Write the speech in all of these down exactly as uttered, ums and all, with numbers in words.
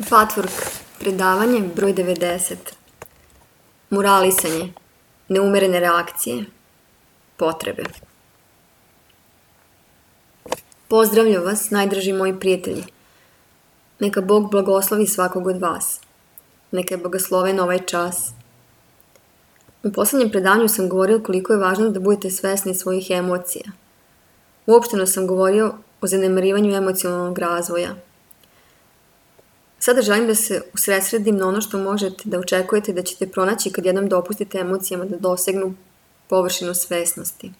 Patchwork, predavanje broj devedeset. Moralisanje, neumerene reakcije, potrebe. Pozdravljam vas, najdraži moji prijatelji. Neka Bog blagoslovi svakog od vas. Neka je blagosloven ovaj čas. U poslednjem predavanju sam govorio koliko je važno da budete svesni svojih emocija. Uopšteno sam govorio o zanemarivanju emocionalnog razvoja. Sada želim da se usredsredim na ono što možete da očekujete da ćete pronaći kad jednom dopustite emocijama da dosegnu površinu svesnosti.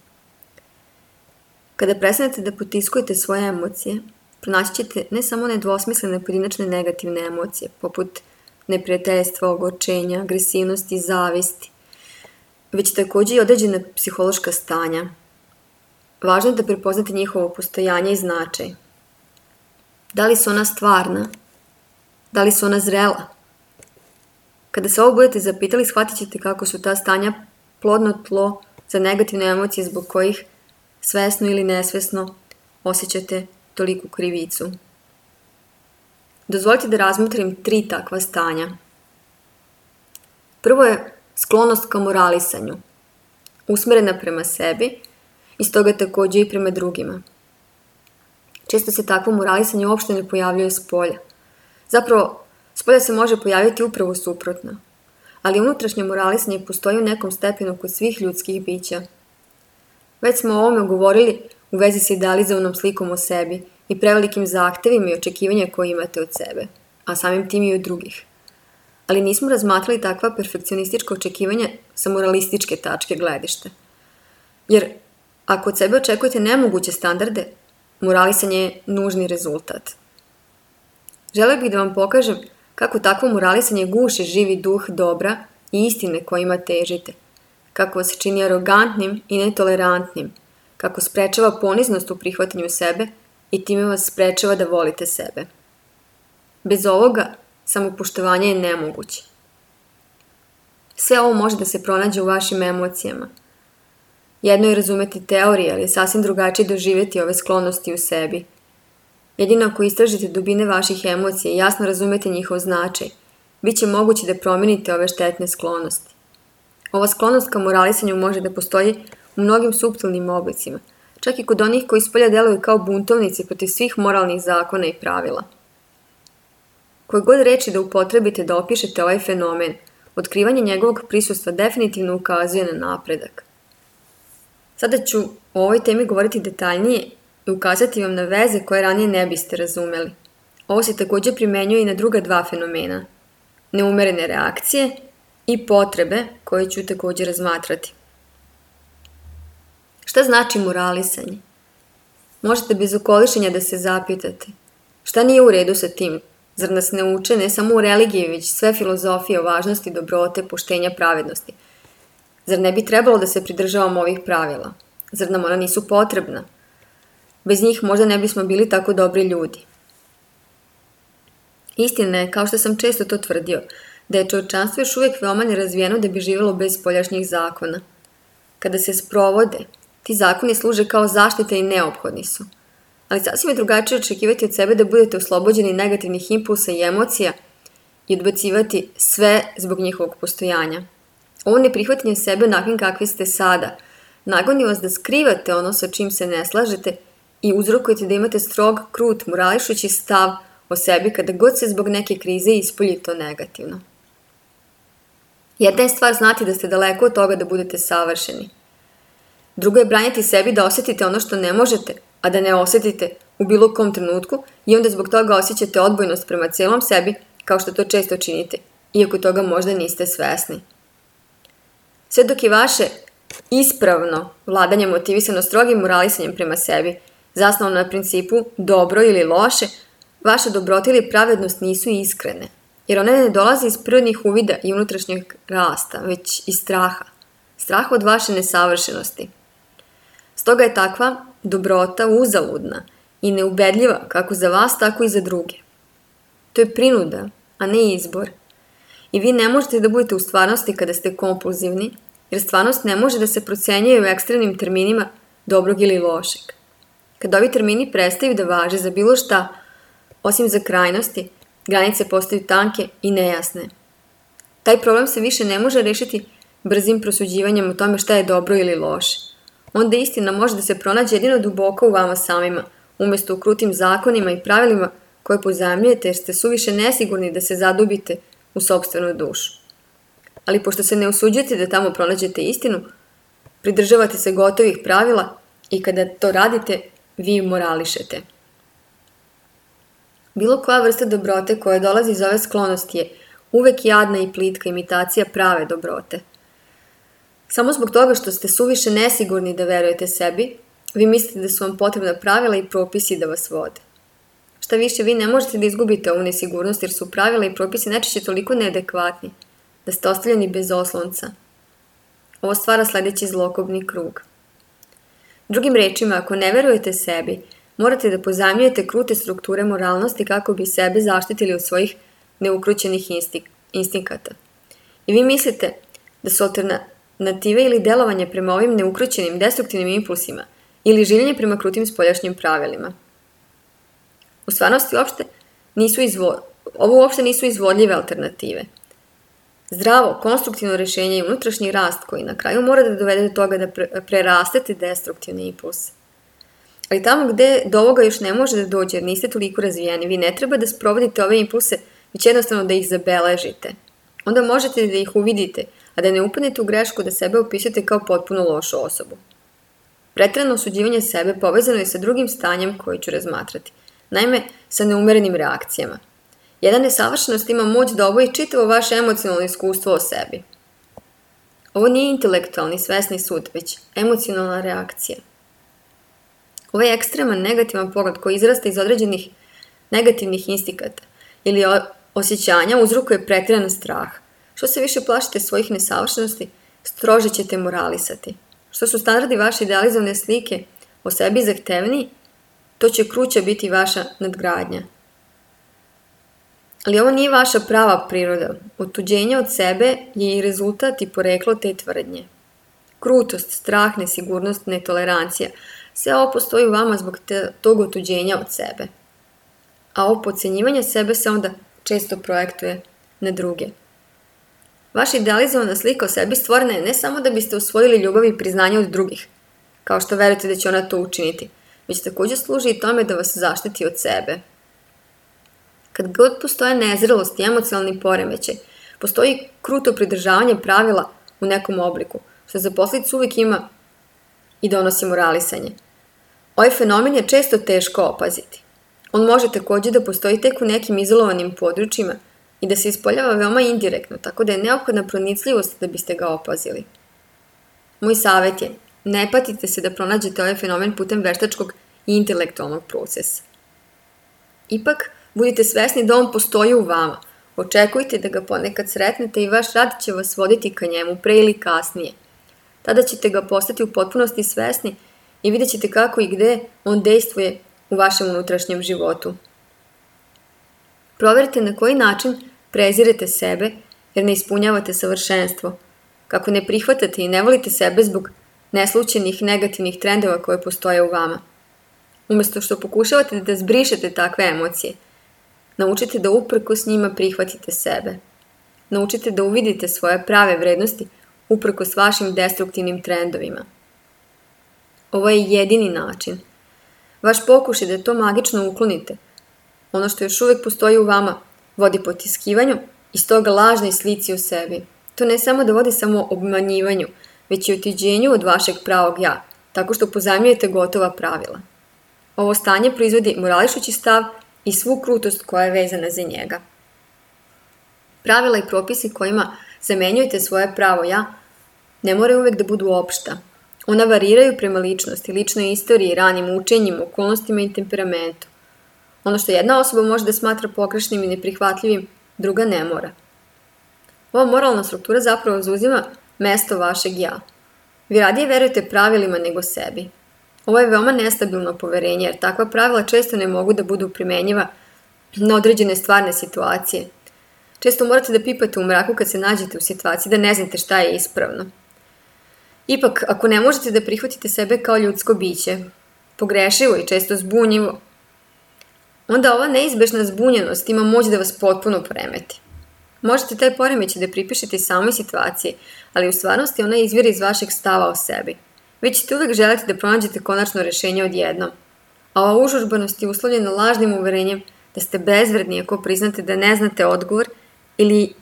Kada prestanete da potiskujete svoje emocije, pronaći ćete ne samo nedvosmislene pojedinačne negativne emocije, poput neprijateljstva, ogorčenja, agresivnosti, zavisti, već takođe i određena psihološka stanja. Važno je da prepoznate njihovo postojanje i značaj. Da li su ona stvarna? Da li su ona zrela? Kada se ovo budete zapitali, shvatit ćete kako su ta stanja plodno tlo za negativne emocije zbog kojih svesno ili nesvesno osjećate toliku krivicu. Dozvolite da razmotrim tri takva stanja. Prvo je sklonost ka moralisanju, usmerena prema sebi i stoga takođe i prema drugima. Često se takvo moralisanje uopšte ne pojavljuje s polja. Zapravo, s polja se može pojaviti upravo suprotno, ali unutrašnje moralisanje postoji u nekom stepenu kod svih ljudskih bića. Već smo o ovome govorili u vezi sa idealizovanom slikom o sebi i prevelikim zahtevima i očekivanja koje imate od sebe, a samim tim i od drugih. Ali nismo razmatrali takva perfekcionistička očekivanja sa moralističke tačke gledišta. Jer ako od sebe očekujete nemoguće standarde, moralisanje je nužni rezultat. Želeo bih da vam pokažem kako takvo moralisanje guši živi duh dobra i istine kojima težite, kako vas čini arogantnim i netolerantnim, kako sprečava poniznost u prihvatanju sebe i time vas sprečava da volite sebe. Bez ovoga, samopoštovanje je nemoguće. Sve ovo može da se pronađe u vašim emocijama. Jedno je razumeti teorije, ali je sasvim drugačije doživjeti ove sklonosti u sebi. Jedino ako istražite dubine vaših emocija i jasno razumete njihov značaj, bit će moguće da promenite ove štetne sklonosti. Ova sklonost ka moralisanju može da postoji u mnogim suptilnim oblicima, čak i kod onih koji spolja deluju kao buntovnici protiv svih moralnih zakona i pravila. Koje god reči da upotrebite da opišete ovaj fenomen, otkrivanje njegovog prisustva definitivno ukazuje na napredak. Sada ću o ovoj temi govoriti detaljnije i ukazati vam na veze koje ranije ne biste razumeli. Ovo se takođe primenjuje i na druga dva fenomena, neumerene reakcije i potrebe koje ću takođe razmatrati. Šta znači moralisanje? Možete bez okolišenja da se zapitate. Šta nije u redu sa tim? Zar nas ne uče ne samo u religiji, već sve filozofije o važnosti dobrote, poštenja, pravednosti? Zar ne bi trebalo da se pridržavamo ovih pravila? Zar nam ona nisu potrebna? Bez njih možda ne bismo bili tako dobri ljudi. Istina je, kao što sam često to tvrdio, da je čovječanstvo još uvijek veoma nerazvijeno da bi živjelo bez spoljašnjih zakona. Kada se sprovode, ti zakoni služe kao zaštita i neophodni su. Ali sasvim je drugačije očekivati od sebe da budete oslobođeni negativnih impulsa i emocija i odbacivati sve zbog njihovog postojanja. Ovo neprihvatanje sebe onakvim kakvi ste sada nagoni vas da skrivate ono sa čim se ne slažete i uzrokujete da imate strog, krut, morališući stav o sebi kada god se zbog neke krize ispolji to negativno. Jedna je stvar znati da ste daleko od toga da budete savršeni. Drugo je branjati sebi da osjetite ono što ne možete, a da ne osjetite u bilo kom trenutku i onda zbog toga osjećate odbojnost prema cijelom sebi, kao što to često činite, iako toga možda niste svesni. Sve dok je vaše ispravno vladanje motivisano strogim moralisanjem prema sebi, zasnovano na principu dobro ili loše, vaša dobrota ili pravednost nisu iskrene, jer one ne dolaze iz prirodnih uvida i unutrašnjeg rasta, već iz straha. Straha od vaše nesavršenosti. Stoga je takva dobrota uzaludna i neubedljiva kako za vas, tako i za druge. To je prinuda, a ne izbor. I vi ne možete da budete u stvarnosti kada ste kompulzivni, jer stvarnost ne može da se procenjuje u ekstremnim terminima dobrog ili lošeg. Kada ovi termini prestaju da važe za bilo šta, osim za krajnosti, Granice postaju tanke i nejasne. Taj problem se više ne može rešiti brzim prosuđivanjem o tome šta je dobro ili loše. Onda istina može da se pronađe jedino duboko u vama samima, umjesto u krutim zakonima i pravilima koje pozajmljujete jer ste suviše nesigurni da se zadubite u sopstvenu dušu. Ali pošto se ne usuđujete da tamo pronađete istinu, pridržavate se gotovih pravila i kada to radite, vi morališete. Bilo koja vrsta dobrote koja dolazi iz ove sklonosti je uvek jadna i plitka imitacija prave dobrote. Samo zbog toga što ste suviše nesigurni da verujete sebi, vi mislite da su vam potrebna pravila i propisi da vas vode. Šta više, vi ne možete da izgubite ovu nesigurnost jer su pravila i propisi najčešće toliko neadekvatni da ste ostavljeni bez oslonca. Ovo stvara sledeći zlokobni krug. Drugim rečima, ako ne verujete sebi, morate da pozajmljujete krute strukture moralnosti kako bi sebe zaštitili od svojih neukrućenih instinkata. I vi mislite da su alternative ili delovanje prema ovim neukrućenim destruktivnim impulsima ili življenje prema krutim spoljašnjim pravilima. U stvarnosti uopšte nisu izvo... ovo uopšte nisu izvodljive alternative. Zdravo, konstruktivno rešenje i unutrašnji rast koji na kraju mora da dovede do toga da prerastete destruktivne impulse. Ali tamo gde do ovoga još ne može da dođe jer niste toliko razvijeni, vi ne treba da sprovodite ove impulse, već jednostavno da ih zabeležite. Onda možete da ih uvidite, a da ne upadnete u grešku da sebe opisujete kao potpuno lošu osobu. Preterano osuđivanje sebe povezano je sa drugim stanjem koje ću razmatrati, naime sa neumerenim reakcijama. Jedna nesavršenost ima moć da oboji čitavo vaše emocionalno iskustvo o sebi. Ovo nije intelektualni, svesni sud, već emocionalna reakcija. Ovaj ekstreman negativan pogled koji izrasta iz određenih negativnih instikata ili osjećanja uzrokuje pretjeran strah. Što se više plašite svojih nesavršenosti, strože ćete moralisati. Što su standardi vaše idealizovane slike o sebi zahtevniji, to će kruća biti vaša nadgradnja. Ali ovo nije vaša prava priroda. Otuđenje od sebe je i rezultat i poreklo te tvrdnje. Krutost, strah, nesigurnost, netolerancija, sve ovo postoji u vama zbog te, tog otuđenja od sebe. A ovo podcenjivanje sebe se onda često projektuje na druge. Vaša idealizovana slika o sebi stvorena je ne samo da biste usvojili ljubav i priznanje od drugih, kao što verujete da će ona to učiniti, već također služi i tome da vas zaštiti od sebe. Kad god postoje nezrelost i emocionalni poremećaj, postoji kruto pridržavanje pravila u nekom obliku, što za posljedicu uvijek ima i donosi moralisanje. Ovaj fenomen je često teško opaziti. On može također da postoji tek u nekim izolovanim područjima i da se ispoljava veoma indirektno, tako da je neophodna pronicljivost da biste ga opazili. Moj savjet je, ne patite se da pronađete ovaj fenomen putem veštačkog i intelektualnog procesa. Ipak, budite svesni da on postoji u vama. Očekujte da ga ponekad sretnete i vaš rad će vas voditi ka njemu pre ili kasnije. Tada ćete ga postati u potpunosti svesni i vidjet ćete kako i gde on dejstvuje u vašem unutrašnjem životu. Proverite na koji način prezirete sebe jer ne ispunjavate savršenstvo, kako ne prihvatate i ne volite sebe zbog neslućenih negativnih trendova koje postoje u vama. Umjesto što pokušavate da zbrišete takve emocije, naučite da uprkos njima prihvatite sebe. Naučite da uvidite svoje prave vrednosti uprkos vašim destruktivnim trendovima. Ovo je jedini način. Vaš pokušaj da to magično uklonite, ono što još uvijek postoji u vama, vodi potiskivanju i stoga lažnoj slici o sebi. To ne samo da vodi samo obmanjivanju, već i otuđenju od vašeg pravog ja, tako što pozajmljujete gotova pravila. Ovo stanje proizvodi morališući stav i svu krutost koja je vezana za njega. Pravila i propisi kojima zamenjujete svoje pravo ja ne moraju uvijek da budu opšta. Ona variraju prema ličnosti, ličnoj istoriji, ranim učenjima, okolnostima i temperamentu. Ono što jedna osoba može da smatra pogrešnim i neprihvatljivim, druga ne mora. Ova moralna struktura zapravo zauzima mesto vašeg ja. Vi radije verujete pravilima nego sebi. Ovo je veoma nestabilno poverenje, jer takva pravila često ne mogu da budu primenjiva na određene stvarne situacije. Često morate da pipate u mraku kad se nađete u situaciji da ne znate šta je ispravno. Ipak, ako ne možete da prihvatite sebe kao ljudsko biće, pogrešivo i često zbunjivo, onda ova neizbešna zbunjenost ima moć da vas potpuno poremeti. Možete taj poremećaj da pripišete samoj situaciji, ali u stvarnosti ona izvire iz vašeg stava o sebi. Vi ćete uvek želeti da pronađete konačno rešenje odjednom. A ova užurbanost je uslovljena lažnim uverenjem da ste bezvredni ako priznate da ne znate odgovor ili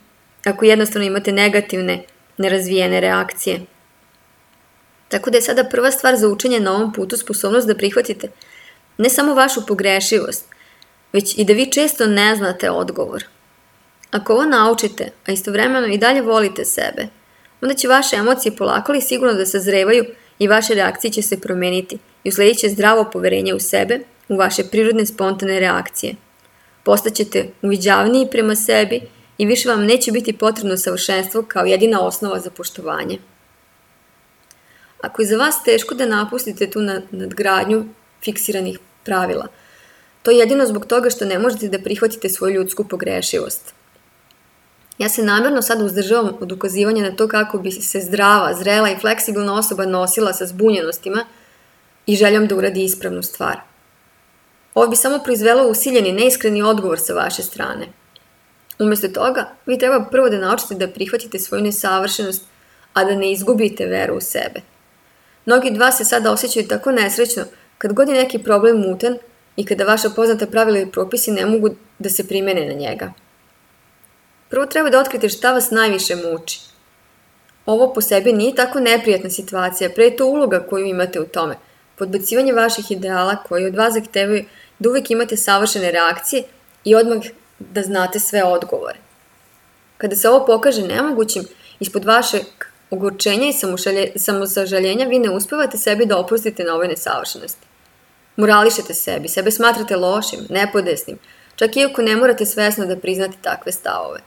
ako jednostavno imate negativne, nerazvijene reakcije. Tako da je sada prva stvar za učenje na ovom putu sposobnost da prihvatite ne samo vašu pogrešivost, već i da vi često ne znate odgovor. Ako ovo naučite, a istovremeno i dalje volite sebe, onda će vaše emocije polako ali sigurno da sazrevaju i vaše reakcije će se promeniti i usledit će zdravo poverenje u sebe, u vaše prirodne spontane reakcije. Postaćete uviđavniji prema sebi i više vam neće biti potrebno savršenstvo kao jedina osnova za poštovanje. Ako je za vas teško da napustite tu nadgradnju fiksiranih pravila, to je jedino zbog toga što ne možete da prihvatite svoju ljudsku pogrešivost. Ja se namjerno sad uzdržavam od ukazivanja na to kako bi se zdrava, zrela i fleksibilna osoba nosila sa zbunjenostima i željom da uradi ispravnu stvar. Ovo bi samo proizvelo usiljeni, neiskreni odgovor sa vaše strane. Umjesto toga, vi treba prvo da naučite da prihvatite svoju nesavršenost, a da ne izgubite veru u sebe. Mnogi od vas se sada osjećaju tako nesrećno kad god je neki problem mutan i kada vaša poznata pravila i propisi ne mogu da se primene na njega. Prvo treba da otkrite šta vas najviše muči. Ovo po sebi nije tako neprijatna situacija, pre je to uloga koju imate u tome. Podbacivanje vaših ideala koji od vas zahtevaju da uvek imate savršene reakcije i odmah da znate sve odgovore. Kada se ovo pokaže nemogućim, ispod vašeg ogorčenja i samosažaljenja vi ne uspevate sebi da oprostite na ovoj nesavršenosti. Morališete sebi, sebe smatrate lošim, nepodesnim, čak iako ne morate svesno da priznate takve stavove.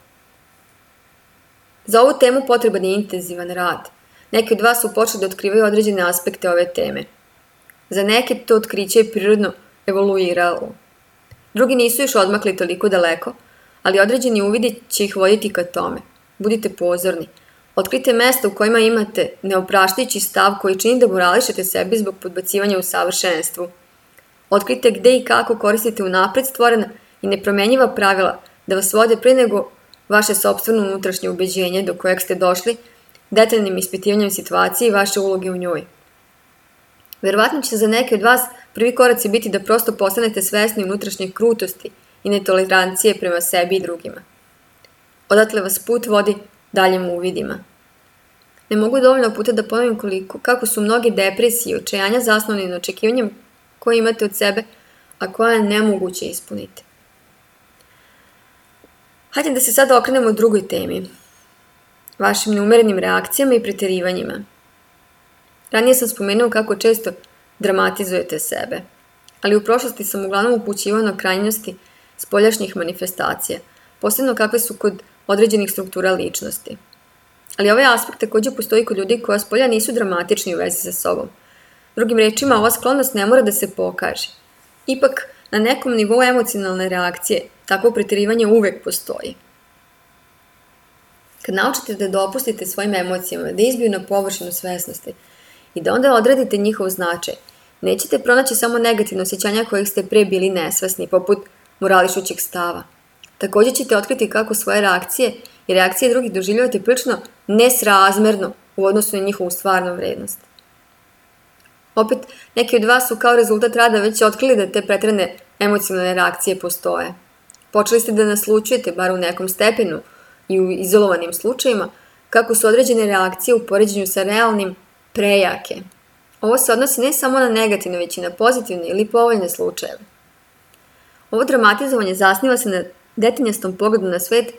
Za ovu temu potreban je intenzivan rad. Neki od vas su počeli da otkrivaju određene aspekte ove teme. Za neke to otkriće je prirodno evoluiralo. Drugi nisu još odmakli toliko daleko, ali određeni uvidi će ih voditi ka tome. Budite pozorni. Otkrite mesta u kojima imate neopraštajući stav koji čini da morališete sebi zbog podbacivanja u savršenstvu. Otkrite gde i kako koristite unapred stvorena i nepromenjiva pravila da vas vode pre nego vaše sopstveno unutrašnje ubeđenje do kojeg ste došli detaljnim ispitivanjem situacije i vaše uloge u njoj. Verovatno će za neke od vas prvi koraci biti da prosto postanete svesni unutrašnje krutosti i netolerancije prema sebi i drugima. Odatle vas put vodi daljim uvidima. Ne mogu dovoljno puta da ponovim koliko, kako su mnoge depresije i očajanja zasnovane na očekivanjem koje imate od sebe, a koje je nemoguće ispuniti. Hajde da se sada okrenemo drugoj temi, vašim neumerenim reakcijama i preterivanjima. Ranije sam spomenuo kako često dramatizujete sebe, ali u prošlosti sam uglavnom upućivao na krajnosti spoljašnjih manifestacija, posebno kakve su kod određenih struktura ličnosti. Ali ovaj aspekt također postoji kod ljudi koja spolja nisu dramatični u vezi sa sobom. Drugim rečima, ova sklonost ne mora da se pokaže. Ipak, na nekom nivou emocionalne reakcije, takvo preterivanje uvek postoji. Kad naučite da dopustite svojim emocijama da izbiju na površinu svesnosti i da onda odredite njihov značaj, nećete pronaći samo negativno osjećanja kojih ste pre bili nesvesni, poput morališućeg stava. Također ćete otkriti kako svoje reakcije i reakcije drugih doživljavate prilično nesrazmerno u odnosu na njihovu stvarnu vrednost. Opet, neki od vas su kao rezultat rada već otkrili da te preterane emocionalne reakcije postoje. Počeli ste da naslučujete, bar u nekom stepenu i u izolovanim slučajima, kako su određene reakcije u poređenju sa realnim prejake. Ovo se odnosi ne samo na negativne, već i na pozitivne ili povoljne slučajeve. Ovo dramatizovanje zasniva se na detaljnastom pogledu na svet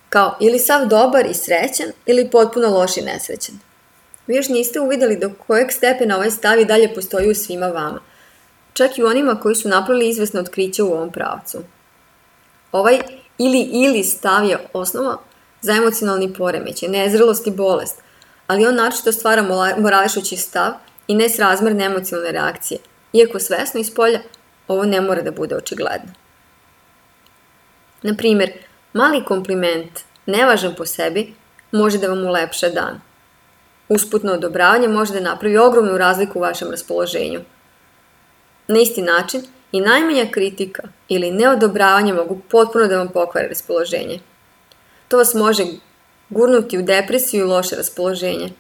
kao ili sav dobar i srećan ili potpuno loš i nesrećan. Vi još niste uvidjeli do kojeg stepena ovaj stav i dalje postoji u svima vama, čak i u onima koji su napravili izvesno otkriće u ovom pravcu. Ovaj ili-ili stav je osnova za emocionalni poremećaj, nezrelost i bolest, ali on naročito stvara morališući stav i nesrazmerne emocionalne reakcije, iako svesno iz polja ovo ne mora da bude očigledno. Na primjer, mali kompliment, nevažan po sebi, može da vam ulepša dan. Usputno odobravanje može da napravi ogromnu razliku u vašem raspoloženju. Na isti način, i najmanja kritika ili neodobravanje mogu potpuno da vam pokvare raspoloženje. To vas može gurnuti u depresiju i loše raspoloženje.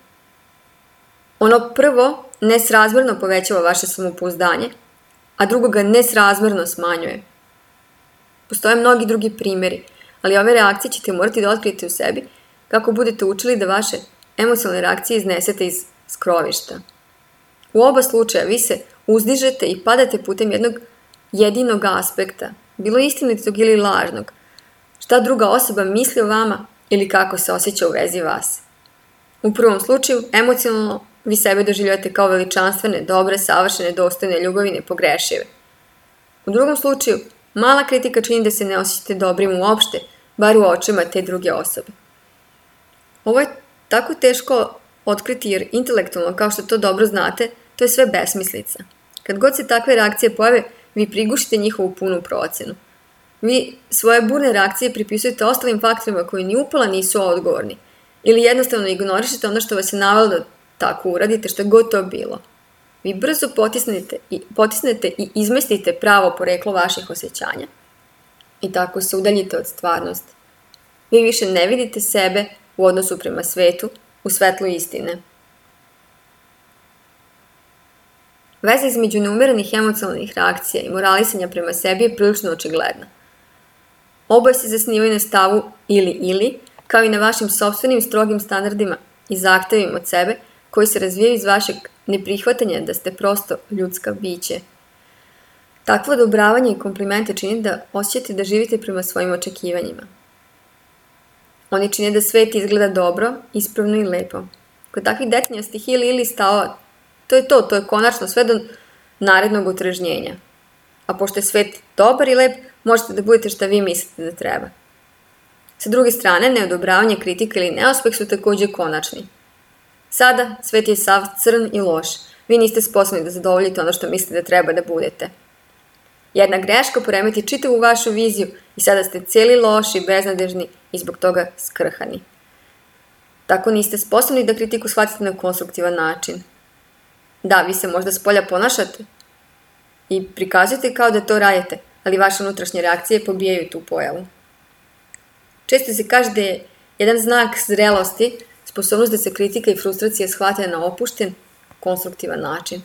Ono prvo nesrazmjerno povećava vaše samopouzdanje, a drugo ga nesrazmjerno smanjuje. Postoje mnogi drugi primjeri, ali ove reakcije ćete morati da otkrijete u sebi kako budete učili da vaše emocionalne reakcije iznesete iz skrovišta. U oba slučaja vi se uzdižete i padate putem jednog jedinog aspekta, bilo istinitog ili lažnog, šta druga osoba misli o vama ili kako se osjeća u vezi vas. U prvom slučaju, emocionalno vi sebe doživljavate kao veličanstvene, dobre, savršene, dostojne, ljubavi, nepogrešive. U drugom slučaju, mala kritika čini da se ne osjećate dobrim uopšte, bar u očima te druge osobe. Ovo je tako teško otkriti jer intelektualno, kao što to dobro znate, to je sve besmislica. Kad god se takve reakcije pojave, vi prigušite njihovu punu procenu. Vi svoje burne reakcije pripisujete ostalim faktorima koji ni upala nisu odgovorni ili jednostavno ignorišete ono što vas je navelo da tako uradite, što je god to bilo. Vi brzo potisnete i, potisnete i izmestite pravo poreklo vaših osjećanja i tako se udaljite od stvarnosti. Vi više ne vidite sebe u odnosu prema svetu, u svetlu istine. Veza između neumerenih emocionalnih reakcija i moralisanja prema sebi je prilično očigledna. Oboje se zasnivaju na stavu ili-ili, kao i na vašim sopstvenim strogim standardima i zahtevima od sebe, koji se razvijaju iz vašeg neprihvatanja da ste prosto ljudska biće. Takvo odobravanje i komplimente čini da osjećate da živite prema svojim očekivanjima. Oni čine da svet izgleda dobro, ispravno i lepo. Kod takvih detinjastih ili-ili stavova, to je to, to je konačno sve do narednog otrežnjenja. A pošto je svet dobar i lep, možete da budete šta vi mislite da treba. Sa druge strane, neodobravanje, kritika ili neuspeh su također konačni. Sada, svet je sav crn i loš. Vi niste sposobni da zadovoljite ono što mislite da treba da budete. Jedna greška poremeti čitavu vašu viziju i sada ste cijeli loši, beznadežni i zbog toga skrhani. Tako niste sposobni da kritiku shvatite na konstruktivan način. Da, vi se možda spolja ponašate i prikazujete kao da to radite, ali vaše unutrašnje reakcije pobijaju tu pojavu. Često se kaže da je jedan znak zrelosti sposobnost da se kritika i frustracija shvate na opušten, konstruktivan način.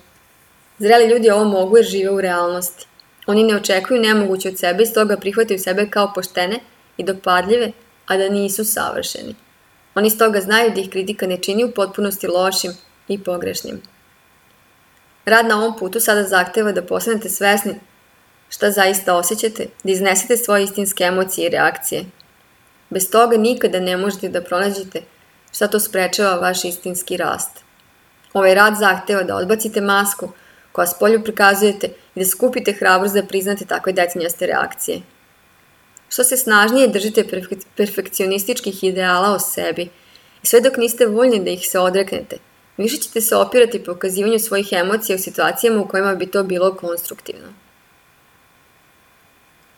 Zreli ljudi ovo mogu jer žive u realnosti. Oni ne očekuju nemoguće od sebe i stoga prihvataju sebe kao poštene i dopadljive, a da nisu savršeni. Oni stoga znaju da ih kritika ne čini u potpunosti lošim i pogrešnim. Rad na ovom putu sada zahteva da postanete svesni šta zaista osjećate, da iznesete svoje istinske emocije i reakcije. Bez toga nikada ne možete da pronađete šta to sprečava vaš istinski rast. Ovaj rad zahteva da odbacite masku koja spolju prikazujete i da skupite hrabrost da priznate takve detinjaste reakcije. Što se snažnije držite perfekcionističkih ideala o sebi i sve dok niste voljni da ih se odreknete, više ćete se opirati pokazivanju svojih emocija u situacijama u kojima bi to bilo konstruktivno.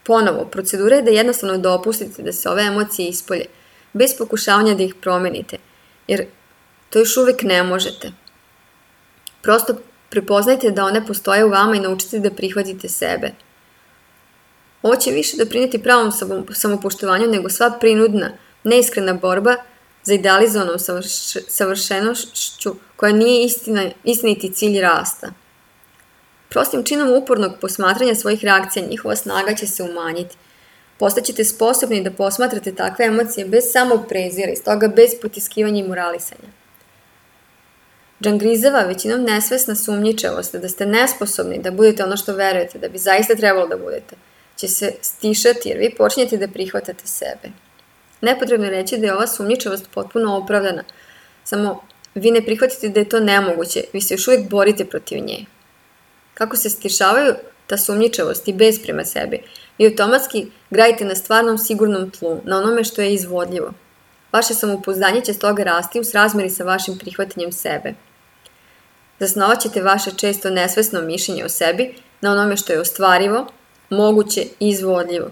Ponovo, procedura je da jednostavno dopustite da se ove emocije ispolje, bez pokušavanja da ih promenite, jer to još uvijek ne možete. Prosto prepoznajte da one postoje u vama i naučite da prihvatite sebe. Ovo će više doprinijeti pravom samopoštovanju nego sva prinudna, neiskrena borba za idealizovanom savršenošću koja nije istina, istiniti cilj rasta. Prostim činom upornog posmatranja svojih reakcija njihova snaga će se umanjiti. Postaćete sposobni da posmatrate takve emocije bez samog prezira i stoga bez potiskivanja i moralisanja. Džangrizeva, većinom nesvesna sumnjičavost da ste nesposobni da budete ono što verujete da bi zaista trebalo da budete, će se stišati jer vi počinjete da prihvatate sebe. Nepotrebno je reći da je ova sumnjičavost potpuno opravdana, samo vi ne prihvatite da je to nemoguće, vi se još uvijek borite protiv nje. Kako se stišavaju ta sumnjičavost i bez prema sebi, vi automatski gradite na stvarnom sigurnom tlu, na onome što je izvodljivo. Vaše samopouzdanje će stoga rasti u srazmeri sa vašim prihvatanjem sebe. Zasnovat ćete vaše često nesvesno mišljenje o sebi na onome što je ostvarivo, moguće i izvodljivo.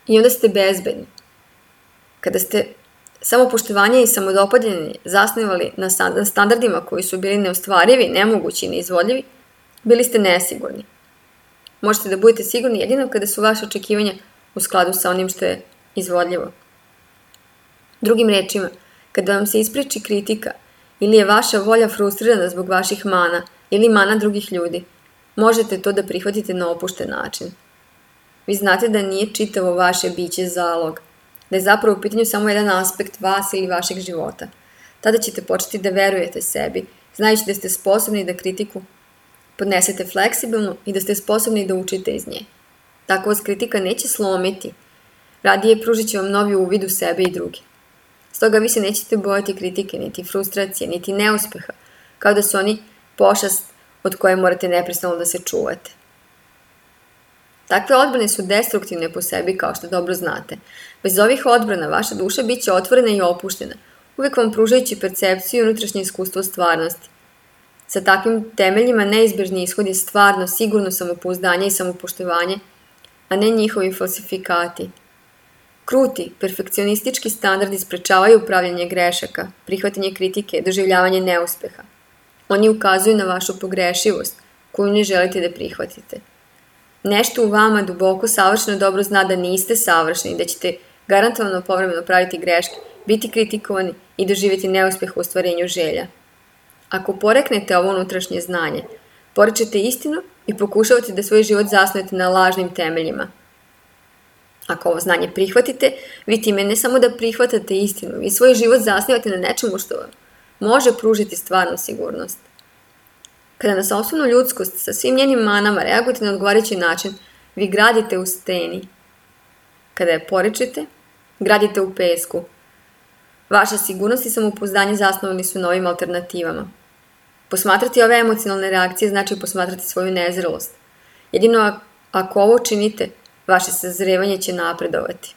I onda ste bezbedni. Kada ste samopoštovanje i samodopadljanje zasnivali na standardima koji su bili neostvarivi, nemogući i neizvodljivi, bili ste nesigurni. Možete da budete sigurni jedino kada su vaše očekivanja u skladu sa onim što je izvodljivo. Drugim rečima, kada vam se ispriči kritika ili je vaša volja frustrirana zbog vaših mana ili mana drugih ljudi, možete to da prihvatite na opušten način. Vi znate da nije čitavo vaše biće zalog, da je zapravo u pitanju samo jedan aspekt vas ili vašeg života. Tada ćete početi da verujete sebi, znajući da ste sposobni da kritiku podnesete fleksibilno i da ste sposobni da učite iz nje. Tako vas kritika neće slomiti, radije pružit će vam novi uvid u sebe i druge. Stoga vi se nećete bojati kritike, niti frustracije, niti neuspeha, kao da su oni pošast od koje morate neprestano da se čuvate. Takve odbrane su destruktivne po sebi, kao što dobro znate. Bez ovih odbrana vaša duša bit će otvorena i opuštena, uvijek vam pružajući percepciju i unutrašnje iskustvo stvarnosti. Sa takvim temeljima neizbježni ishod je stvarno, sigurno samopouzdanje i samopoštovanje, a ne njihovi falsifikati. Kruti, perfekcionistički standardi sprečavaju upravljanje grešaka, prihvatanje kritike, doživljavanje neuspeha. Oni ukazuju na vašu pogrešivost, koju ne želite da prihvatite. Nešto u vama duboko savršeno dobro zna da niste savršeni, da ćete garantovano povremeno praviti greške, biti kritikovani i doživjeti neuspeh u ostvarenju želja. Ako poreknete ovo unutrašnje znanje, porečete istinu i pokušavate da svoj život zasnujete na lažnim temeljima. Ako ovo znanje prihvatite, vi time ne samo da prihvatate istinu, vi svoj život zasnivate na nečemu što vam može pružiti stvarnu sigurnost. Kada na sopstvenu ljudskost sa svim njenim manama reagujete na odgovarajući način, vi gradite u steni. Kada je porečete, gradite u pesku. Vaša sigurnost i samopouzdanje zasnovani su na ovim alternativama. Posmatrati ove emocionalne reakcije znači posmatrati svoju nezrelost. Jedino ako ovo činite, vaše sazrevanje će napredovati.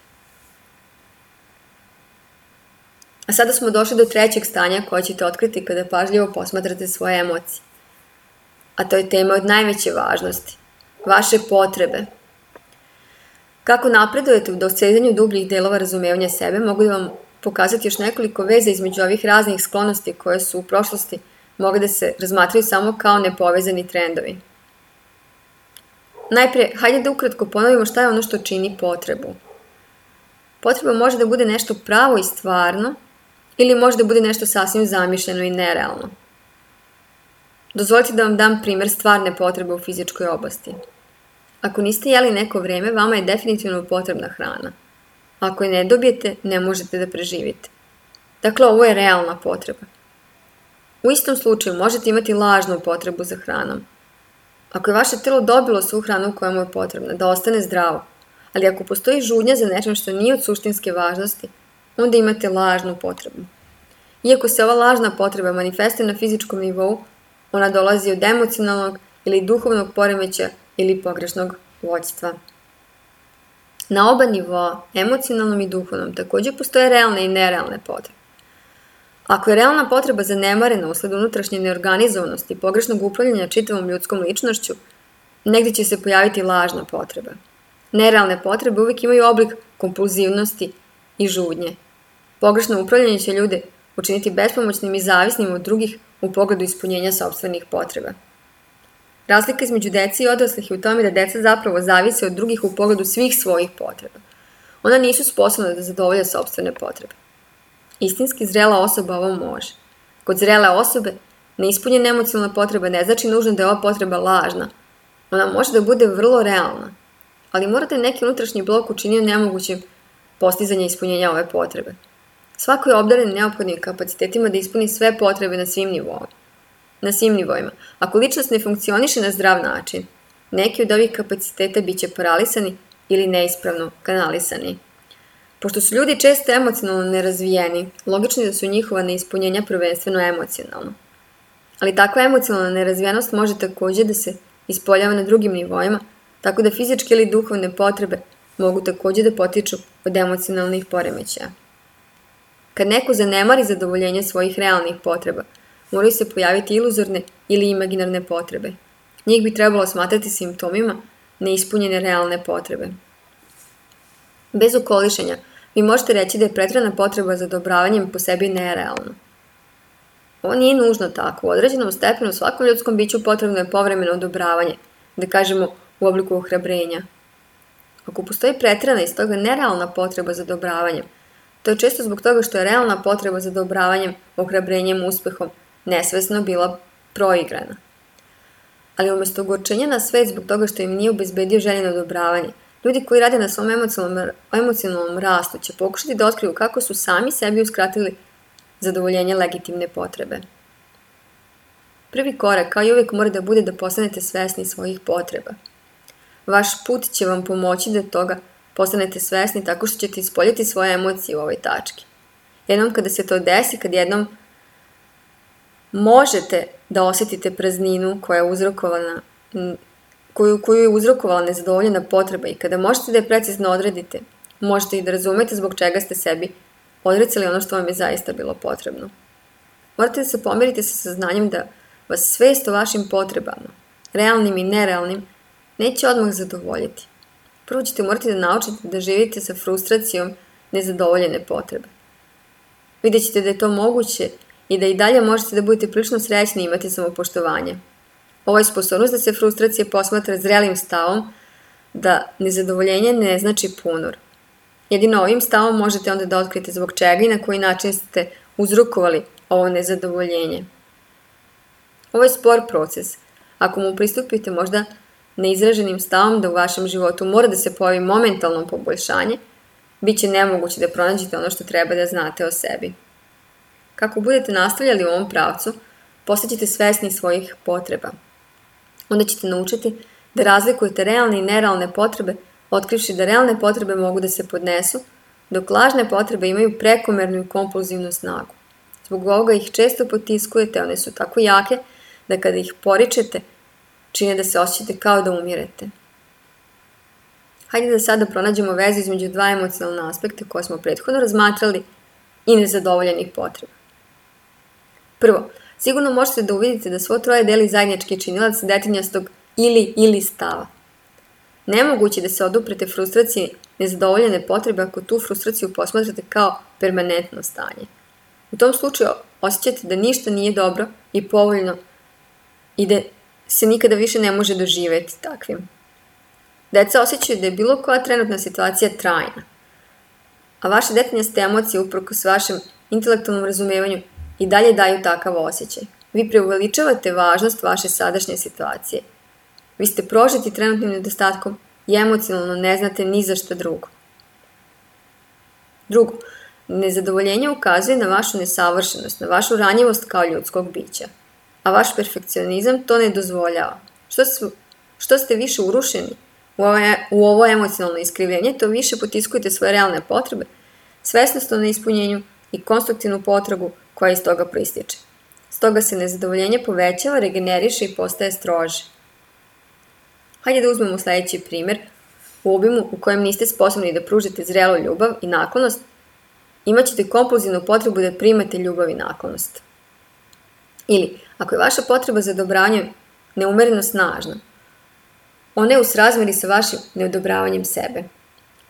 A sada smo došli do trećeg stanja koje ćete otkriti kada pažljivo posmatrate svoje emocije. A to je tema od najveće važnosti. Vaše potrebe. Kako napredujete u dosezanju dubljih delova razumevanja sebe, mogu da vam pokazati još nekoliko veza između ovih raznih sklonosti koje su u prošlosti mogle da se razmatraju samo kao nepovezani trendovi. Najprije, hajde da ukratko ponovimo šta je ono što čini potrebu. Potreba može da bude nešto pravo i stvarno, ili može da bude nešto sasvim zamišljeno i nerealno. Dozvolite da vam dam primjer stvarne potrebe u fizičkoj oblasti. Ako niste jeli neko vreme, vama je definitivno potrebna hrana. Ako je ne dobijete, ne možete da preživite. Dakle, ovo je realna potreba. U istom slučaju možete imati lažnu potrebu za hranom. Ako je vaše telo dobilo svu hranu koja mu je potrebna, da ostane zdravo, ali ako postoji žudnja za nečem što nije od suštinske važnosti, onda imate lažnu potrebu. Iako se ova lažna potreba manifestuje na fizičkom nivou, ona dolazi od emocionalnog ili duhovnog poremeća ili pogrešnog vođstva. Na oba nivoa, emocionalnom i duhovnom, također postoje realne i nerealne potrebe. Ako je realna potreba zanemarena usled unutrašnje neorganizovanosti i pogrešnog upravljanja čitavom ljudskom ličnošću, negdje će se pojaviti lažna potreba. Nerealne potrebe uvijek imaju oblik kompulzivnosti i žudnje. Pogrešno upravljanje će ljude učiniti bespomoćnim i zavisnim od drugih u pogledu ispunjenja sopstvenih potreba. Razlika između dece i odraslih je u tome da deca zapravo zavise od drugih u pogledu svih svojih potreba. Ona nisu sposobna da zadovolje sopstvene potrebe. Istinski zrela osoba ovo može. Kod zrele osobe, neispunjena emocionalna potreba ne znači nužno da je ova potreba lažna. Ona može da bude vrlo realna, ali mora da je neki unutrašnji blok učinio nemogućim postizanje ispunjenja ove potrebe. Svako je obdaren neophodnim kapacitetima da ispuni sve potrebe na svim nivoima. Na svim nivoima. Ako ličnost ne funkcioniše na zdrav način, neki od ovih kapaciteta bit će paralisani ili neispravno kanalisani. Pošto su ljudi često emocionalno nerazvijeni, logično je da su njihova neispunjenja prvenstveno emocionalna. Ali takva emocionalna nerazvijenost može također da se ispoljava na drugim nivoima, tako da fizičke ili duhovne potrebe mogu također da potiču od emocionalnih poremećaja. Kad neko zanemari zadovoljenje svojih realnih potreba, moraju se pojaviti iluzorne ili imaginarne potrebe. Njih bi trebalo smatrati simptomima neispunjene realne potrebe. Bez ukolišenja, vi možete reći da je pretjerana potreba za odobravanjem po sebi nerealna. Ovo nije nužno tako. U određenom stepenu svakom ljudskom biću potrebno je povremeno odobravanje, da kažemo u obliku ohrabrenja. Ako postoji preterana i stoga nerealna potreba za odobravanjem, to je često zbog toga što je realna potreba za odobravanjem, ohrabrenjem, uspehom nesvesno bila proigrana. Ali umjesto ogorčenja na svet zbog toga što im nije obezbedio željeno odobravanje, ljudi koji rade na svom emocionalnom, emocionalnom rastu će pokušati da otkriju kako su sami sebi uskratili zadovoljenje legitimne potrebe. Prvi korak, kao i uvijek, mora da bude da postanete svesni svojih potreba. Vaš put će vam pomoći da toga postanete svesni tako što ćete ispoljiti svoje emocije u ovoj tački. Jednom kada se to desi, kad jednom možete da osjetite prazninu koja je uzrokovana, koju, koju je uzrokovala nezadovoljena potreba i kada možete da je precizno odredite, možete i da razumete zbog čega ste sebi odrecali ono što vam je zaista bilo potrebno. Morate da se pomirite sa saznanjem da vas svest o vašim potrebama, realnim i nerealnim, neće odmah zadovoljiti. Prvo ćete morati da naučite da živite sa frustracijom nezadovoljene potrebe. Vidjet ćete da je to moguće i da i dalje možete da budete prilično srećni i imati samopoštovanje. Ovo je sposobnost da se frustracija posmatra zrelim stavom, da nezadovoljenje ne znači ponor. Jedino ovim stavom možete onda da otkrijete zbog čega i na koji način ste uzrokovali ovo nezadovoljenje. Ovo je spor proces. Ako mu pristupite možda neizraženim stavom da u vašem životu mora da se pojavi momentalno poboljšanje, bit će nemoguće da pronađete ono što treba da znate o sebi. Kako budete nastavljali u ovom pravcu, postaćete svesni svojih potreba. Onda ćete naučiti da razlikujete realne i nerealne potrebe, otkrivši da realne potrebe mogu da se podnesu, dok lažne potrebe imaju prekomernu i kompulzivnu snagu. Zbog ovoga ih često potiskujete, one su tako jake da kada ih poričete, čine da se osjećate kao da umirete. Hajde da sada pronađemo vezu između dva emocionalna aspekta koje smo prethodno razmatrali i nezadovoljenih potreba. Prvo, sigurno možete da uvidite da svo troje deli zajednički činilac detinjastog ili-ili stava. Nemoguće da se oduprete frustraciji nezadovoljene potrebe ako tu frustraciju posmatrate kao permanentno stanje. U tom slučaju osjećate da ništa nije dobro i povoljno i da se nikada više ne može doživjeti takvim. Deca osjećaju da je bilo koja trenutna situacija trajna, a vaše detinjaste emocije uprkos vašem intelektualnom razumevanju i dalje daju takav osjećaj. Vi preuveličavate važnost vaše sadašnje situacije. Vi ste prožeti trenutnim nedostatkom i emocionalno ne znate ni za šta drugo. Drugo, nezadovoljenje ukazuje na vašu nesavršenost, na vašu ranjivost kao ljudskog bića, a vaš perfekcionizam to ne dozvoljava. Što, su, što ste više urušeni u ovo, u ovo emocionalno iskrivljenje, to više potiskujete svoje realne potrebe, svesnost o neispunjenju i konstruktivnu potragu koja iz toga proističe. Stoga se nezadovoljenje povećava, regeneriše i postaje strože. Hajde da uzmemo sljedeći primjer. U obimu u kojem niste sposobni da pružite zrelu ljubav i naklonost, imat ćete kompulzivnu potrebu da primate ljubav i naklonost. Ili, ako je vaša potreba za odobravanjem neumereno snažna, ona je u srazmeri sa vašim neodobravanjem sebe.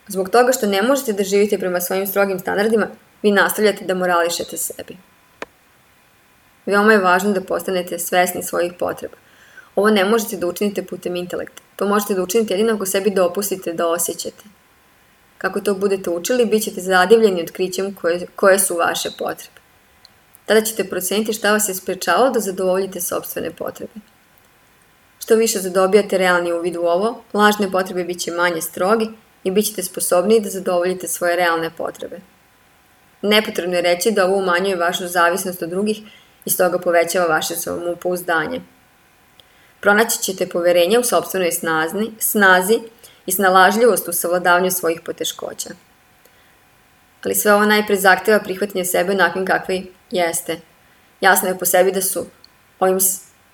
Zbog toga što ne možete da živite prema svojim strogim standardima, vi nastavljate da morališete sebi. Veoma je važno da postanete svesni svojih potreba. Ovo ne možete da učinite putem intelekta. To možete da učinite jedino ako sebi dopustite da osjećate. Kako to budete učili, bit ćete zadivljeni otkrićem koje, koje su vaše potrebe. Tada ćete proceniti šta vas je sprečavalo da zadovoljite sopstvene potrebe. Što više zadobijate realni uvid u ovo, lažne potrebe bit će manje strogi i bit ćete sposobniji da zadovoljite svoje realne potrebe. Nepotrebno je reći da ovo umanjuje vašu zavisnost od drugih i stoga povećava vaše samopouzdanje. Pronaći ćete poverenje u sopstvenoj snazi, snazi i snalažljivost u savladavanju svojih poteškoća. Ali sve ovo najpre zahteva prihvatanje sebe onakvim kakvi jeste. Jasno je po sebi da su ovim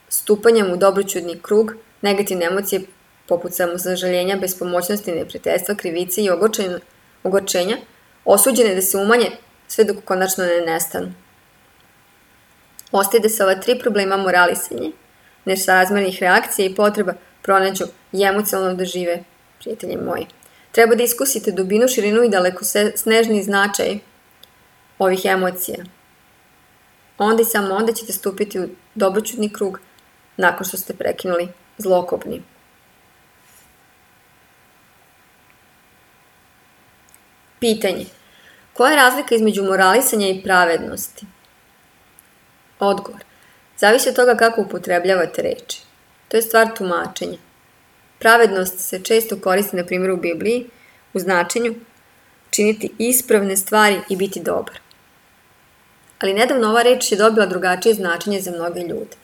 stupanjem u dobroćudni krug negativne emocije poput samosažaljenja, bespomoćnosti, neprijateljstva, krivice i ogorčenja, ogorčenja osuđene da se umanje sve dok konačno ne nestanu. Ostaje da se ova tri problema moralisanje, nesrazmernih reakcija i potreba pronađu i emocionalno dožive, prijatelji moji. Treba da iskusite dubinu, širinu i daleko snežni značaj ovih emocija. Onda i samo onda ćete stupiti u dobroćudni krug nakon što ste prekinuli zlokobni. Pitanje. Koja je razlika između moralisanja i pravednosti? Odgovor. Zavisi od toga kako upotrebljavate reči. To je stvar tumačenja. Pravednost se često koristi, na primjer u Bibliji, u značenju činiti ispravne stvari i biti dobar. Ali nedavno ova reč je dobila drugačije značenje za mnoge ljude.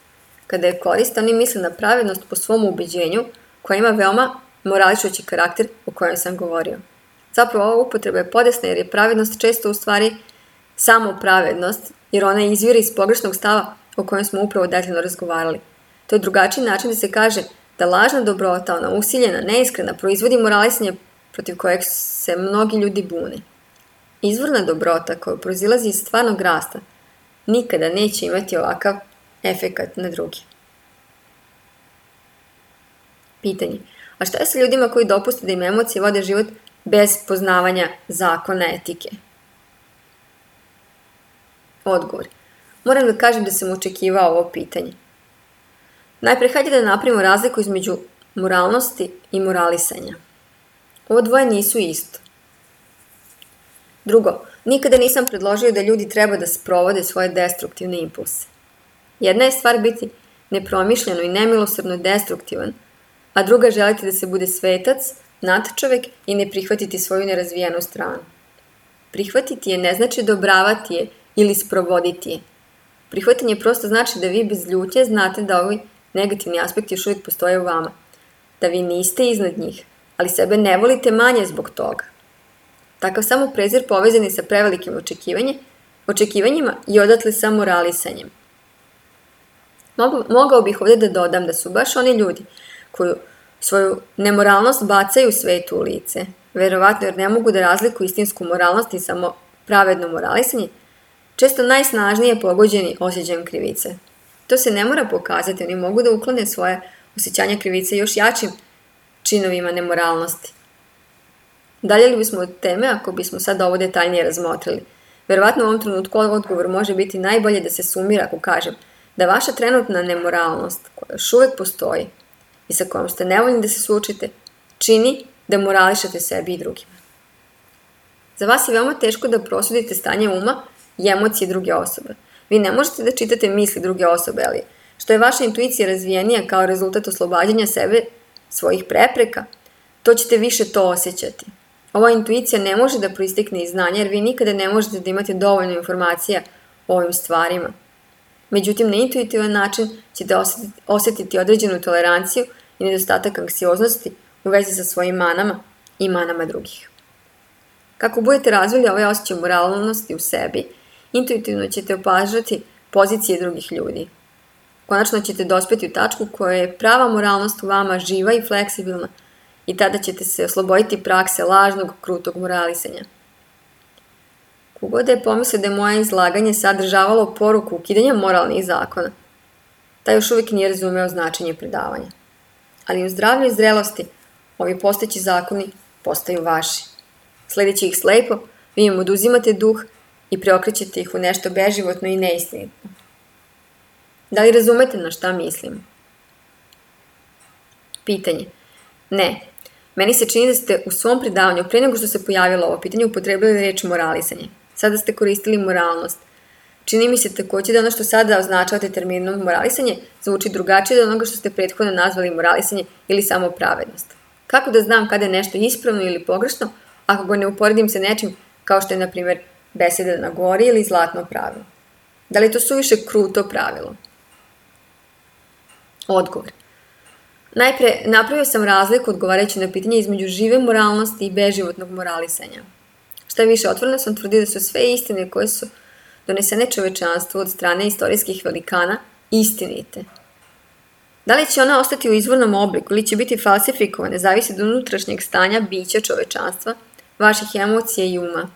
Kada je koriste, oni misle na pravednost po svom ubeđenju, koja ima veoma morališući karakter o kojem sam govorio. Zapravo ova upotreba je podesna jer je pravednost često u stvari samo pravednost, jer ona izvire iz pogrešnog stava o kojem smo upravo detaljno razgovarali. To je drugačiji način da se kaže da lažna dobrota, ona usiljena, neiskrena, proizvodi moralisanje protiv kojeg se mnogi ljudi bune. Izvorna dobrota koja proizilazi iz stvarnog rasta nikada neće imati ovakav efekat na drugi. Pitanje. A šta je sa ljudima koji dopuste da im emocije vode život bez poznavanja zakona etike? Odgovor. Moram da kažem da sam očekivao ovo pitanje. Najpre, hajde da napravimo razliku između moralnosti i moralisanja. Ovo dvoje nisu isto. Drugo, nikada nisam predložio da ljudi treba da sprovode svoje destruktivne impulse. Jedna je stvar biti nepromišljeno i nemilosrdno destruktivan, a druga želiti da se bude svetac, nadčovek i ne prihvatiti svoju nerazvijenu stranu. Prihvatiti je ne znači odobravati je ili sprovoditi je. Prihvatanje prosto znači da vi bez ljutnje znate da ovi negativni aspekti još uvijek postoje u vama, da vi niste iznad njih, ali sebe ne volite manje zbog toga. Takav samo prezir povezani sa prevelikim očekivanje, očekivanjima i odatle sa moralisanjem. Mogao bih ovdje da dodam da su baš oni ljudi koji svoju nemoralnost bacaju svetu u lice, verovatno jer ne mogu da razlikuju istinsku moralnost i samo pravedno moralisanje, često najsnažnije pogođeni osjećajem krivice. To se ne mora pokazati, oni mogu da uklone svoje osjećanja krivice još jačim činovima nemoralnosti. Dalje li bismo od teme ako bismo sad ovo detaljnije razmotrili? Verovatno u ovom trenutku odgovor može biti najbolje da se sumira ako kažem da vaša trenutna nemoralnost, koja još uvijek postoji i sa kojom ste nevoljni da se suočite, čini da morališete sebi i drugima. Za vas je veoma teško da prosudite stanje uma i emocije druge osobe. Vi ne možete da čitate misli druge osobe, ali što je vaša intuicija razvijenija kao rezultat oslobađanja sebe, svojih prepreka, to ćete više to osjećati. Ova intuicija ne može da proistekne iz znanja jer vi nikada ne možete da imate dovoljno informacija o ovim stvarima. Međutim, na intuitivan način ćete osjetiti, osjetiti određenu toleranciju i nedostatak anksioznosti u vezi sa svojim manama i manama drugih. Kako budete razvili ovaj osjećaj moralnosti u sebi, intuitivno ćete opažati pozicije drugih ljudi. Konačno ćete dospeti u tačku koja je prava moralnost u vama živa i fleksibilna i tada ćete se osloboditi prakse lažnog, krutog moralisanja. Kogod je pomislio da je moje izlaganje sadržavalo poruku ukidanja moralnih zakona, taj još uvijek nije razumeo značenje predavanja. Ali u zdravlju i zrelosti ovi postojeći zakoni postaju vaši. Sledeći ih slepo, vi im oduzimate duh i preokrećete ih u nešto beživotno i neistinitno. Da li razumete na šta mislim? Pitanje. Ne. Meni se čini da ste u svom predavanju, pre nego što se pojavilo ovo pitanje, upotrebili reč moralisanje. Sada ste koristili moralnost. Čini mi se također da ono što sada označavate terminom moralisanje zvuči drugačije od onoga što ste prethodno nazvali moralisanje ili samo pravednost. Kako da znam kada je nešto ispravno ili pogrešno ako ga ne uporedim sa nečim kao što je, na primjer, beseda na gori ili zlatno pravilo? Da li je to suviše kruto pravilo? Odgovor. Najpre, napravio sam razliku odgovarajući na pitanje između žive moralnosti i beživotnog moralisanja. Šta više, otvoreno sam tvrdio da su sve istine koje su donesene čovečanstvu od strane istorijskih velikana istinite. Da li će ona ostati u izvornom obliku ili će biti falsifikovane, zavisi od unutrašnjeg stanja bića čovečanstva, vaših emocija i uma.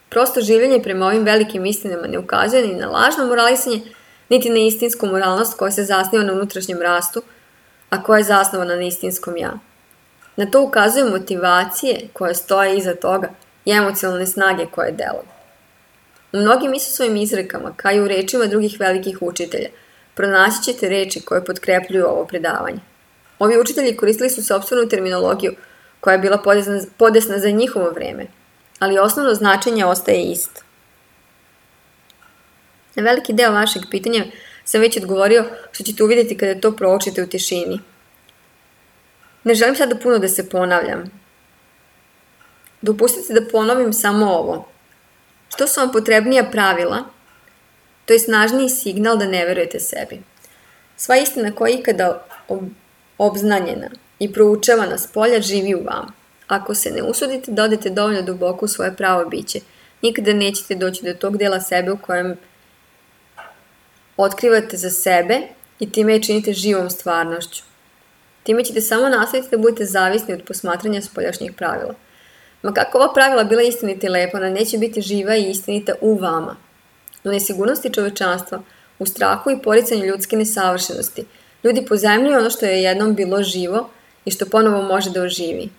Prosto življenje prema ovim velikim istinama ne ukazuje ni na lažno moralisanje, niti na istinsku moralnost koja se zasniva na unutrašnjem rastu, a koja je zasnovana na istinskom ja. Na to ukazuju motivacije koje stoje iza toga i emocionalne snage koje deluju. U mnogim Isusovim izrekama, kao i u rečima drugih velikih učitelja, pronaći ćete reči koje potkrepljuju ovo predavanje. Ovi učitelji koristili su sopstvenu terminologiju koja je bila podesna, podesna za njihovo vreme, ali osnovno značenje ostaje isto. Na veliki deo vašeg pitanja sam već odgovorio, što ćete uvidjeti kada to proučite u tišini. Ne želim sada puno da se ponavljam. Dopustite da ponovim samo ovo. Što su vam potrebnija pravila, to je snažniji signal da ne verujete sebi. Sva istina koja je ikada obznanjena i proučavana s polja živi u vama. Ako se ne usudite da odete dovoljno duboko u svoje pravo biće, nikada nećete doći do tog dela sebe u kojem otkrivate za sebe i time je činite živom stvarnošću. Time ćete samo nastaviti da budete zavisni od posmatranja spoljašnjih pravila. Ma kako ova pravila bila istinita i lepa, ona neće biti živa i istinita u vama. U nesigurnosti čovečanstva, u strahu i poricanju ljudske nesavršenosti, ljudi pozajmljuju ono što je jednom bilo živo i što ponovo može da oživi.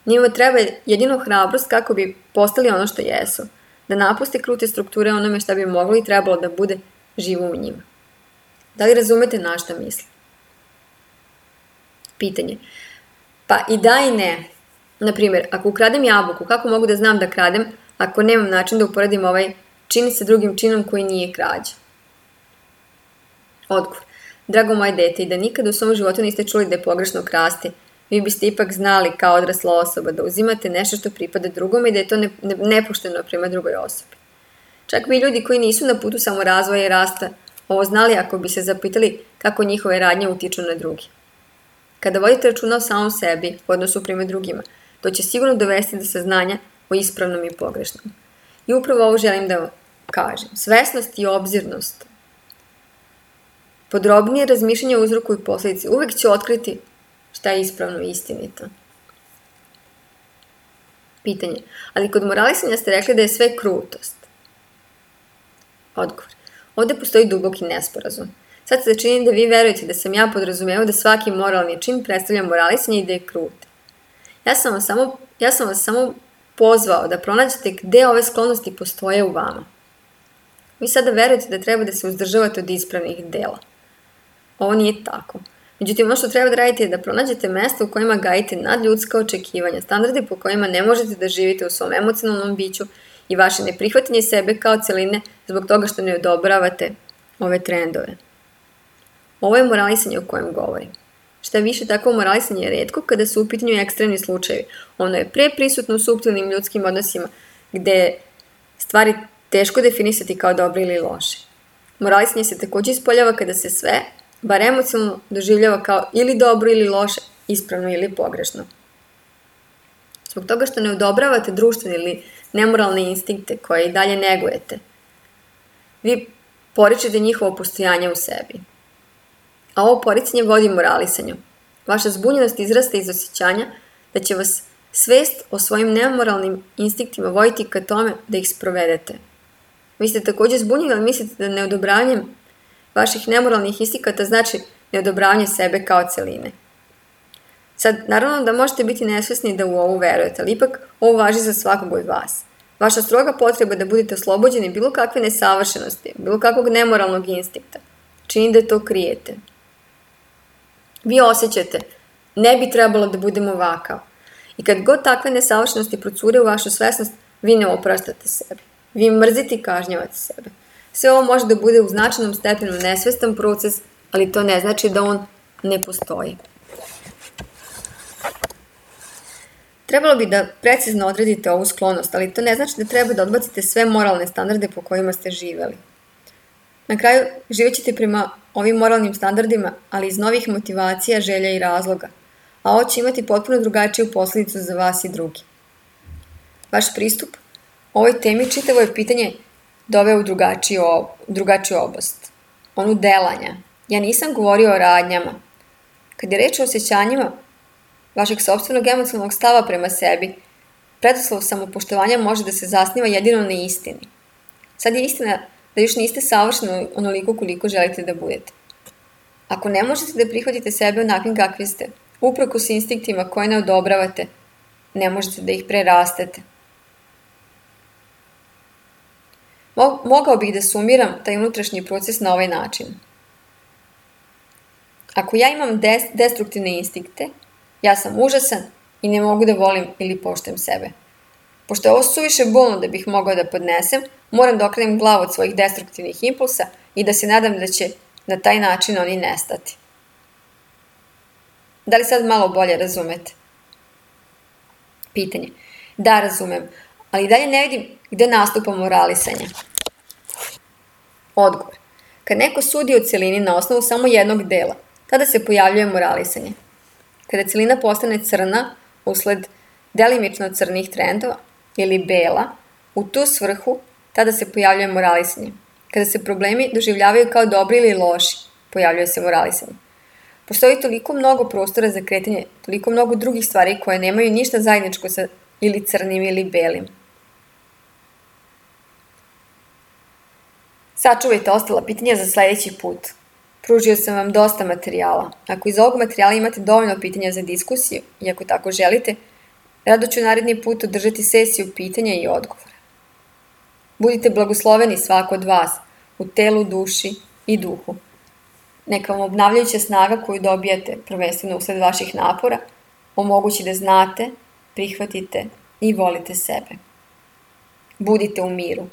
Njima treba jedino hrabrost kako bi postali ono što jesu, da napuste krute strukture onome šta bi moglo i trebalo da bude živo u njima. Da li razumete na šta mislim? Pitanje. Pa i da i ne. Naprimjer, ako ukradem jabuku, kako mogu da znam da kradem ako nemam način da uporedim ovaj čin sa drugim činom koji nije krađa? Odgovor. Drago moje dete, i da nikada u svom životu niste čuli da je pogrešno krasti, vi biste ipak znali kao odrasla osoba da uzimate nešto što pripada drugome i da je to ne, ne, nepošteno prema drugoj osobi. Čak bi ljudi koji nisu na putu samorazvoja i rasta ovo znali ako bi se zapitali kako njihove radnje utiču na drugi. Kada vodite računa o samom sebi u odnosu prema drugima, to će sigurno dovesti do saznanja o ispravnom i pogrešnom. I upravo ovo želim da vam kažem. Svesnost i obzirnost, podrobnije razmišljanje o uzroku i posledici uvek će otkriti šta je ispravno i istinito. Pitanje. Ali kod moralisanja ste rekli da je sve krutost. Odgovor. Ovde postoji duboki nesporazum. Sad se čini da vi verujete da sam ja podrazumevao da svaki moralni čin predstavlja moralisanje i da je krut. Ja sam vas samo, ja sam vas samo pozvao da pronađete gde ove sklonosti postoje u vama. Vi sada verujete da treba da se uzdržavate od ispravnih dela. Ovo nije tako. Međutim, ono što treba da radite je da pronađete mesta u kojima gajite nadljudska očekivanja, standardi po kojima ne možete da živite u svom emocionalnom biću i vaše neprihvatanje sebe kao celine zbog toga što ne odobravate ove trendove. Ovo je moralisanje o kojem govorim. Šta više, takvo moralisanje je retko kada su u pitanju ekstremni slučajevi. Ono je pre prisutno u suptilnim ljudskim odnosima gde je stvari teško definisati kao dobre ili loše. Moralisanje se takođe ispoljava kada se sve, bar emocionalno, doživljava kao ili dobro ili loše, ispravno ili pogrešno. Zbog toga što ne odobravate društvene ili nemoralne instinkte koje i dalje negujete, vi poričete njihovo postojanje u sebi. A ovo poricanje vodi moralisanju. Vaša zbunjenost izrasta iz osjećanja da će vas svest o svojim nemoralnim instinktima voditi ka tome da ih sprovedete. Vi ste takođe zbunjeni, ali mislite da neodobravanje vaših nemoralnih instinkata znači neodobravanje sebe kao celine. Sad, naravno da možete biti nesvesni da u ovu verujete, ali ipak ovo važi za svakog od vas. Vaša stroga potreba da budete oslobođeni bilo kakve nesavršenosti, bilo kakvog nemoralnog instinkta, čini da to krijete. Vi osjećate, ne bi trebalo da budem ovakav. I kad god takve nesavršenosti procure u vašu svesnost, vi ne opraštate sebi. Vi mrzite i kažnjavate sebe. Sve ovo može da bude u značajnom stepenu nesvestan proces, ali to ne znači da on ne postoji. Trebalo bi da precizno odredite ovu sklonost, ali to ne znači da treba da odbacite sve moralne standarde po kojima ste živeli. Na kraju, živet ćete prema ovim moralnim standardima, ali iz novih motivacija, želja i razloga, a ovo će imati potpuno drugačiju posledicu za vas i drugi. Vaš pristup ovoj temi čitavo je pitanje doveo u drugačiju, drugačiju oblast, onu delanja. Ja nisam govorio o radnjama. Kad je reč o osjećanjima vašeg sopstvenog emocionalnog stava prema sebi, preduslov samopoštovanja može da se zasniva jedino na istini. Sad je istina da još niste savršeni onoliko koliko želite da budete. Ako ne možete da prihvatite sebe onakvim kakvi ste, uprkos instinktima koje ne odobravate, ne možete da ih prerastete. Mogao bih da sumiram taj unutrašnji proces na ovaj način. Ako ja imam des destruktivne instinkte, ja sam užasan i ne mogu da volim ili poštujem sebe. Pošto je ovo suviše bolno da bih mogao da podnesem, moram da okrenem glavu od svojih destruktivnih impulsa i da se nadam da će na taj način oni nestati. Da li sad malo bolje razumete? Pitanje. Da, razumem, ali i dalje ne vidim gde nastupa moralisanje. Odgovor. Kad neko sudi o celini na osnovu samo jednog dela, tada se pojavljuje moralisanje. Kada celina postane crna usled delimično crnih trendova ili bela, u tu svrhu tada se pojavljuje moralisanje. Kada se problemi doživljavaju kao dobri ili loši, pojavljuje se moralisanje. Postoji toliko mnogo prostora za kretanje, toliko mnogo drugih stvari koje nemaju ništa zajedničko sa ili crnim ili belim. Sačuvajte ostala pitanja za sledeći put. Pružio sam vam dosta materijala. Ako iz ovog materijala imate dovoljno pitanja za diskusiju i ako tako želite, rado ću naredni put održati sesiju pitanja i odgovora. Budite blagosloveni svako od vas u telu, duši i duhu. Neka vam obnavljajuća snaga koju dobijate, prvenstveno usled vaših napora, omogući da znate, prihvatite i volite sebe. Budite u miru.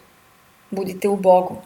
Budite u Bogu.